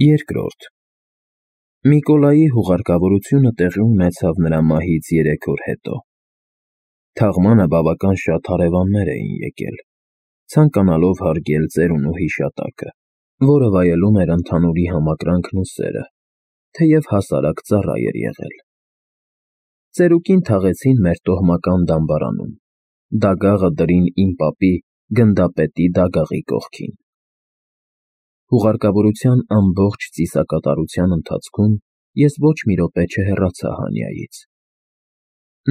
Երկրորդ Միկոլայի հուղարկավորությունը տեղի ունեցավ նրա մահից 3 օր հետո։ Թաղմանը բավական շատ հարևաններ էին եկել, ցանկանալով հարգել ծերունու հիշատակը, որը վայելում էր ընդհանուրի համակրանքն ու սերը, թեև հասարակ ծառա էր եղել։ Ծերուկին թաղեցին մեր տոհմական դամբարանում, դագաղը դրին իմ պապի գնդապետի դագաղի կողքին։ Հուղարկավորության ամբողջ ծիսակատարության ընթացքում ես ոչ մի րոպե չհեռացա Հանյայից։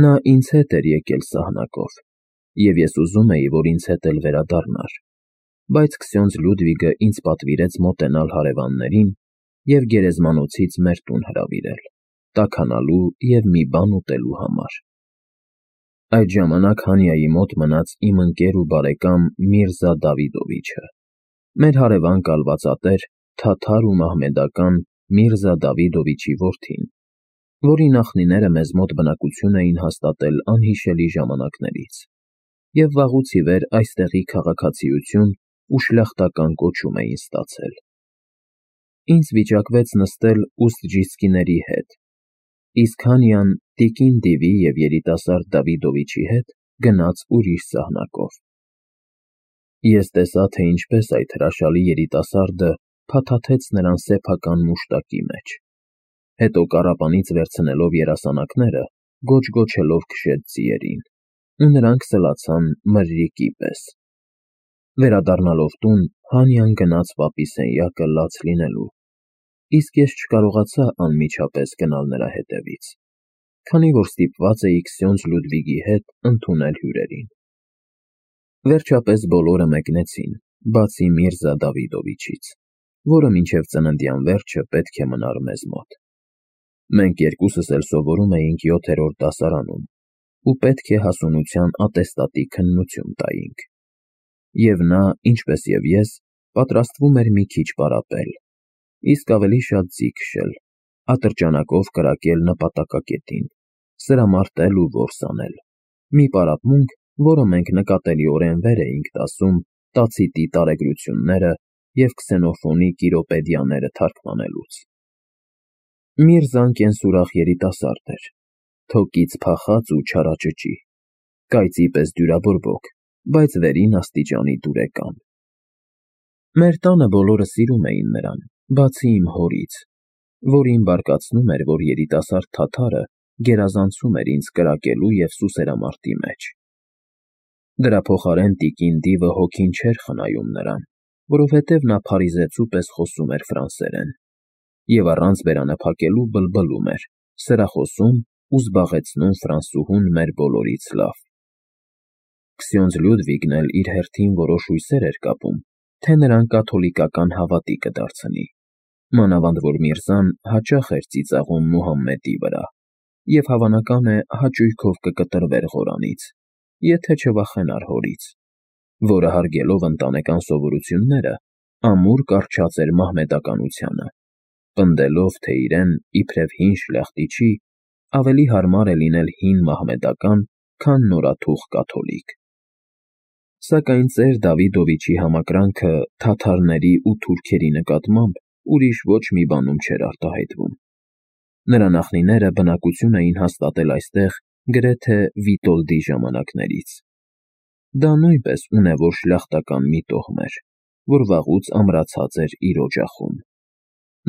Նա ինձ հետ էր եկել սահնակով, և ես ուզում էի, որ ինձ հետ էլ վերադառնար, բայց Քսյոնձ Լյուդվիգը ինձ պատվիրեց մոտենալ հարևաններին և գերեզմանոցից մեր տուն հրավիրել, տաքանալու և մի բան ուտելու համար։ Այդ ժամանակ Հանյայի մոտ մնաց իմ ընկեր ու բարեկամ Միրզա Դավիդովիչը, մեր հարևան կալվածատեր, թաթար ու մահմեդական Միրզա Դավիդովիչի որդին, որի նախնիները մեզ մոտ բնակություն էին հաստատել անհիշելի ժամանակներից, և վաղուց ի վեր այստեղի քաղաքացիություն ու շլախտական կոչում էին ստացել։ Ինձ վիճակվեց նստել ուստջիսկիների հետ, իսկ Հանյան տիկին Դիվի և երիտասարդ Դավիդովիչի հետ գնաց ուրիշ սահնակով։ Ես տեսա, թե ինչպես այդ հրաշալի երիտասարդը փաթաթեց նրան սեփական մուշտակի մեջ, հետո կառապանից վերցնելով երասանակները, գոչ-գոչելով քշեց ձիերին, ու նրանք սլացան մրրիկի պես։ Վերադառնալով տուն, Հանյան գնաց պապի սենյակը լաց լինելու, իսկ ես չկարողացա անմիջապես գնալ նրա հետևից, քանի որ ստիպված էի Քսյոնձ Լյուդվիգի հետ ընդունել հյուրերին։ Վերջապես բոլորը մեկնեցին, բացի Միրզա Դավիդովիչից, որը մինչև ծննդյան վերջը պետք է մնար մեզ մոտ։ Մենք երկուսս էլ սովորում էինք 7-րդ դասարանում ու պետք է հասունության ատեստատի քննություն տայինք։ Եվ նա, ինչպես և ես, պատրաստվում էր մի քիչ պարապել, իսկ ավելի շատ ձի քշել, ատրճանակով կրակել նպատակակետին, սրամարտել ու որս անել, մի պարապմունք, որը մենք նկատելիորեն վեր էինք տասում Տացիտի տարեգրությունները և Քսենոֆոնի կիրոպեդիաները թարգմանելուց։ Միրզան կենսուրախ երիտասարդ էր, թոկից փախած ու չարաճճի, կայծի պես դյուրաբորբոք, բայց վերին աստիճանի դուրեկան։ Մեր տանը բոլորը սիրում էին նրան, բացի իմ հորից, որին բարկացնում էր, որ երիտասարդ թաթարը գերազանցում էր ինձ կրակելու և սուսերամարտի մեջ։ Դրա փոխարեն տիկին Դիվը հոգին չէր խնայում նրան, որովհետև նա փարիզեցու պես խոսում էր ֆրանսերեն, և առանց բերանափակելու բլբլում էր, սրախոսում ու զբաղեցնում ֆրանսուհուն մեր բոլորից լավ։ Քսյոնձ Լյուդվիգն էլ իր հերթին որոշ հույսեր էր կապում, թե նրան կաթոլիկական հավատի կդարձնի, մանավանդ որ Միրզան հաճախ էր ծիծաղում Մուհամմեդի վրա, և հավանական է հաճույքով կկտրվեր Ղորանից, եթե չվախենար հորից, որը հարգելով ընտանեկան սովորությունները, ամուր կառչած էր մահմեդականությանը, պնդելով, թե իրեն, իբրև հին շլախտիչի, ավելի հարմար է լինել հին մահմեդական, քան նորաթուխ կաթոլիկ։ Սակայն ծեր Դավիդովիչի համակրանքը թաթարների ու թուրքերի նկատմամբ ուրիշ ոչ մի բանում չէր արտահայտվում։ Նրա նախնիները բնակություն էին հաստատել այստեղ գրեթե Վիտոլդի ժամանակներից։ Դա նույնպես ունևոր շլախտական մի տոհմ էր, որ վաղուց ամրացած էր իր օջախում։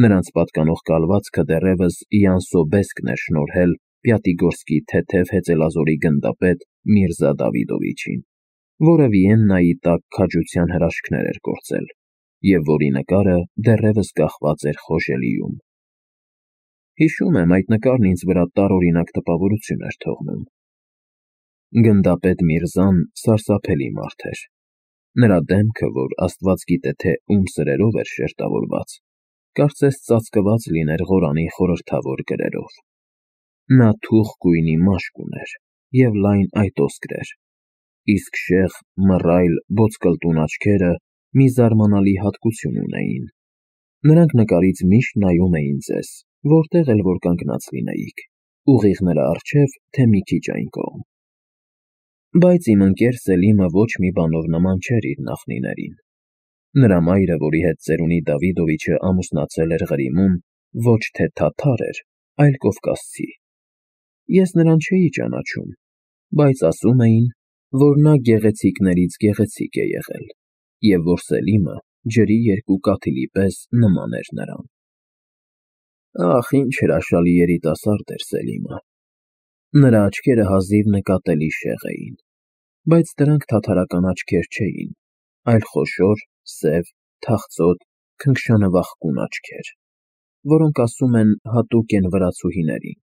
Նրանց պատկանող կալվածքը դեռևս Յան Սոբեսկն էր շնորհել Պյատիգորսկի թեթև հեծելազորի գնդապետ Միրզա Դավիդովիչին, որը Վիեննայի տակ քաջության հրաշքներ էր գործել, և որի նկարը դեռևս կախված էր Խոժելիում։ Հիշում եմ, այդ նկարն ինձ վրա տարօրինակ տպավորություն էր թողնում։ Գնդապետ Միրզան սարսափելի մարդ էր։ Նրա դեմքը, որ աստված գիտե թե ում սրերով էր շերտավորված, կարծես ծածկված լիներ Ղորանի խորհրդավոր գրերով։ Նա թուխ գույնի մաշկ ուներ և լայն այտոսկր էր, իսկ շեղ, մռայլ, ոսկլտուն աչքերը մի զարմանալի հատկություն ունեին. նրանք նկարից միշտ նայում էին ձեզ, որտեղ էլ որ կանգնած լինեիք, ուղիղ նրա առջև, թե մի քիչ այն կողմ։ Բայց իմ ընկեր Սելիմը ոչ մի բանով նման չէր իր նախնիներին։ Նրա մայրը, որի հետ ծերունի Դավիդովիչը ամուսնացել էր Ղրիմում, ոչ թե թաթար էր, այլ կովկասցի։ Ես նրան չէի ճանաչում, բայց ասում էին, որ նա գեղեցիկներից գեղեցիկ է եղել, և որ Սելիմը ջրի երկու կաթիլի պես նման էր նրան։ Ախ, ինչ հրաշալի երիտասարդ էր Սելիմը։ Նրա աչքերը հազիվ նկատելի շեղ էին, բայց դրանք թաթարական աչքեր չէին, այլ խոշոր, սև, թախծոտ, քնքշանվախկուն աչքեր, որոնք ասում են հատուկ են վրացուհիներին։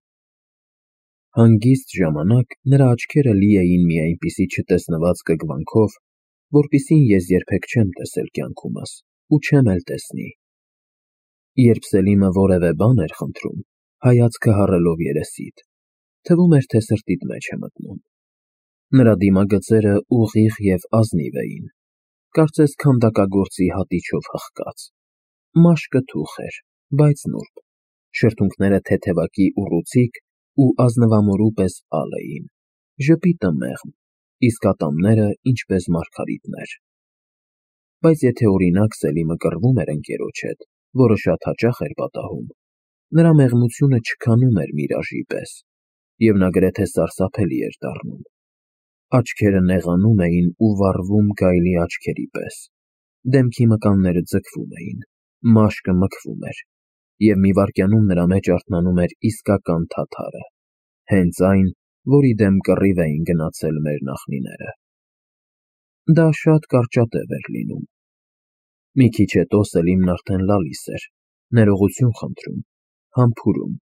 Հանգիստ ժամանակ նրա աչքերը լի էին մի այնպիսի չտեսնված կգվանքով, որպիսին ես երբեք չեմ տեսել կյանքումս ու չեմ էլ տեսնի։ Երբ Սելիմը որևէ բան էր խնդրում, հայացքը հառելով երեսիդ, թվում էր, թե սրտիդ մեջ է մտնում։ Նրա դիմագծերը ուղիղ և ազնիվ էին, կարծես քանդակագործի հատիչով հղկած։ Մաշկը թուխ էր, բայց նուրբ, շրթունքները թեթևակի ուռուցիկ ու ազնվամորու պես ալ էին, ժպիտը մեղմ, իսկ ատամները ինչպես մարգարիտներ։ Բայց եթե օրինակ Սելիմը կռվում էր ընկերոջ հետ, որը շատ հաճախ էր պատահում, նրա մեղմությունը չքանում էր միրաժի պես, և նա գրեթե սարսափելի էր դառնում։ Աչքերը նեղանում էին ու վառվում գայլի աչքերի պես, դեմքի մկանները ձգվում էին, մաշկը մքվում էր, և մի վայրկյանում նրա մեջ արթնանում էր իսկական թաթարը, հենց այն, որի դեմ կռիվ էին գնացել մեր նախնիները։ Դա շատ կարճատև էր լինում։ Մի քիչ հետո Սելիմն արդեն լալիս էր, ներողություն խնդրում, համբուրում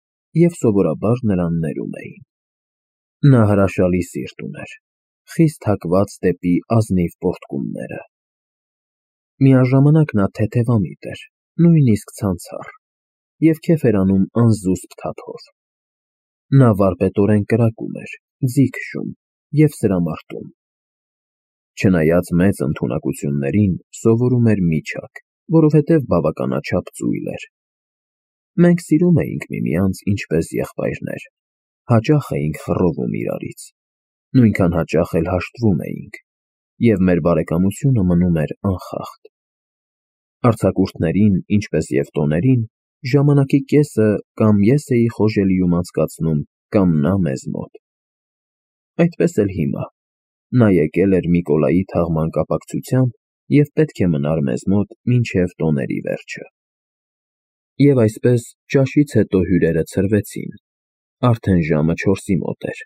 և սովորաբար նրան ներում էին։ Նա հրաշալի սիրտ ուներ, խիստ հակված դեպի ազնիվ պոռթկումները։ Միաժամանակ նա թեթևամիտ էր, նույնիսկ ցանցառ, և քեֆ էր անում անզուսպ թափով։ Նա վարպետորեն կրակում էր, ձի քշում և սրամարտում։ Չնայած մեծ ընդունակություններին, սովորում էր միջակ, որովհետև բավականաչափ ծույլ էր։ Մենք սիրում էինք միմյանց ինչպես եղբայրներ, հաճախ էինք խռովում իրարից, նույնքան հաճախ էլ հաշտվում էինք, և մեր բարեկամությունը մնում էր անխախտ։ Արձակուրդներին, ինչպես և տոներին, ժամանակի կեսը կամ ես էի խոժելիում անցկացնում, կամ նա մեզ մոտ։ Այդպես էլ հիմա։ Նա եկել էր Միկոլայի թաղման կապակցությամբ և պետք է մնար մեզ մոտ մինչև տոների վերջը։ Եվ այսպես, ճաշից հետո հյուրերը ցրվեցին, արդեն ժամը 4-ի մոտ էր։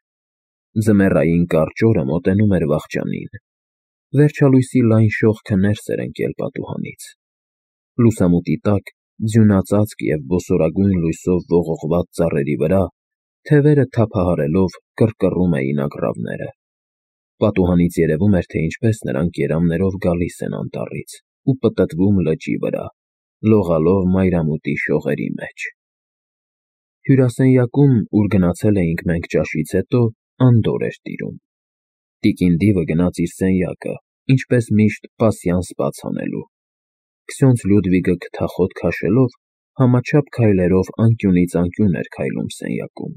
Ձմեռային կարճ օրը մոտենում էր վախճանին։ Վերջալույսի լայն շողքը ներս էր ընկել պատուհանից։ Լուսամուտի տակ, ձյունածածկ և ոսորագույն լույսով ողողված ծառերի վրա, թևերը թափահարելով կռկռում էին ագռավները։ Պատուհանից երևում էր, թե ինչպես նրանք երամներով գալիս են անտառից ու պտտվում լճի վրա, լողալով մայրամուտի շողերի մեջ։ Հյուրասենյակում, ուր գնացել էինք մենք ճաշից հետո, անդորր էր տիրում։ Տիկին Դիվը գնաց իր սենյակը, ինչպես միշտ, պասյանս բաց անելու։ Քսյոնց Լյուդվիգը քթախոտ քաշելով, համաչափ քայլերով անկյունից անկյուն էր քայլում սենյակում։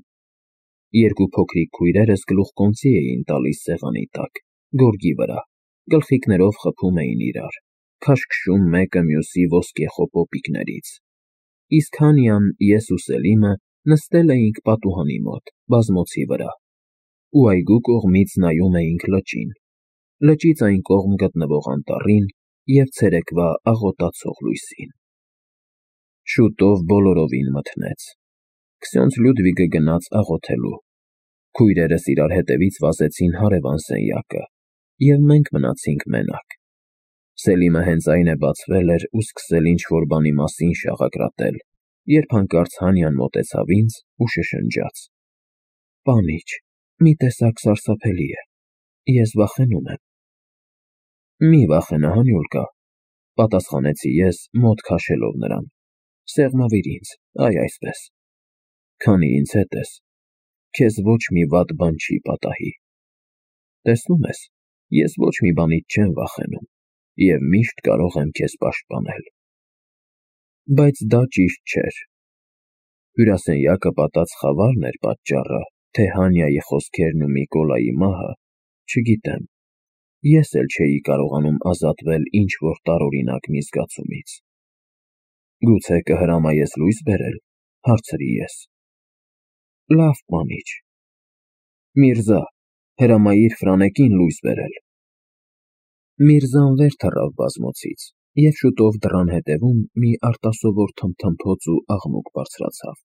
Երկու փոքրիկ քույրերս գլուխկոնծի էին տալիս սեղանի տակ, գորգի վրա, գլխիկներով խփում էին իրար, քաշքշում մեկը մյուսի ոսկեխոհ պոպիկներից։ Իսկ Հանյան, ես ու Սելիմը նստել էինք պատուհանի մոտ, բազմոցի վրա, ու այգու կողմից նայում էինք լճին, լճից այն կողմ գտնվող անտառին և ցերեկվա աղոտացող լույսին։ Շուտով բոլորովին մթնեց։ Քսյոնց Լյուդվիգը գնաց աղոթելու։ Քույրերս իրար հետևից վազեցին հարևան սենյակը, և մենք մնացինք մենակ։ Սելիմը հենց այն է բացվել էր ու սկսել ինչ-որ բանի մասին շաղակրատել, երբ հանկարծ Հանյան մոտեցավ ինձ ու շշնջաց. «Պանիչ, մի տեսակ սարսափելի է, ես վախենում եմ»։ «Մի վախենա, Հանյոլկա», պատասխանեցի ես, մոտ քաշելով նրան, «սեղմավիր ինձ, այ այսպես։ Քանի ինձ հետ ես, քեզ ոչ մի վատ բան չի պատահի։ Տեսնում ես, ես ոչ մի բանից չեմ վախենում և միշտ կարող եմ քեզ պաշտպանել»։ Բայց դա ճիշտ չէր։ Հյուրասենյակը պատած խավարն էր պատճառը, թե Հանյայի խոսքերն ու Միկոլայի մահը, չգիտեմ, Ես էլ չէի կարողանում ազատվել ինչ-որ տարօրինակ մի զգացումից։ Գուցե կհրամայես լույս բերել, հարցրի ես։ Լավ, պանիչ։ Միրզա, հրամայիր Ֆրանեկին լույս բերել։ Միրզան վեր թռավ բազմոցից, և շուտով դռան հետևում մի արտասովոր թմթմփոց ու աղմուկ բարձրացավ։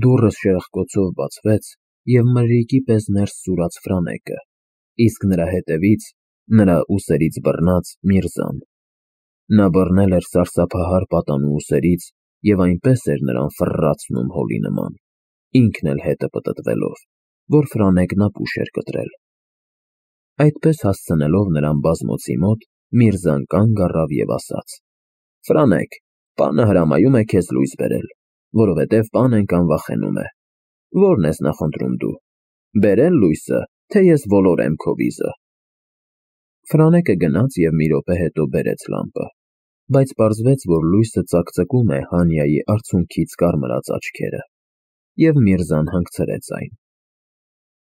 Դուռը շրխկոցով բացվեց, և մրրիկի պես ներս սուրաց Ֆրանեկը, իսկ նրա հետևից, նրա ուսերից բռնած, Միրզան։ Նա բռնել էր սարսափահար պատանու ուսերից և այնպես էր նրան ֆռռացնում հոլի նման, ինքն էլ հետը պտտվելով, որ Ֆրանեկն ապուշ էր կտրել։ Այդպես հասցնելով նրան բազմոցի մոտ, Միրզան կանգ առավ և ասաց. Ֆրանեկ, պանը հրամայում է քեզ լույս բերել, որովհետև պանեն կանվախենում է։ Ո՞րն ես նախընտրում դու, բերել լույսը, թե ես ոլորեմ քո վիզը։ Ֆրանեկը գնաց և մի րոպե հետո բերեց լամպը, բայց պարզվեց, որ լույսը ծակծկում է Հանիայի արցունքից կարմրած աչքերը, և Միրզան հանգցրեց այն։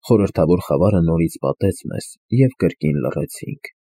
Խորհրդավոր խավարը նորից պատեց մեզ, և կրկին լռեցինք։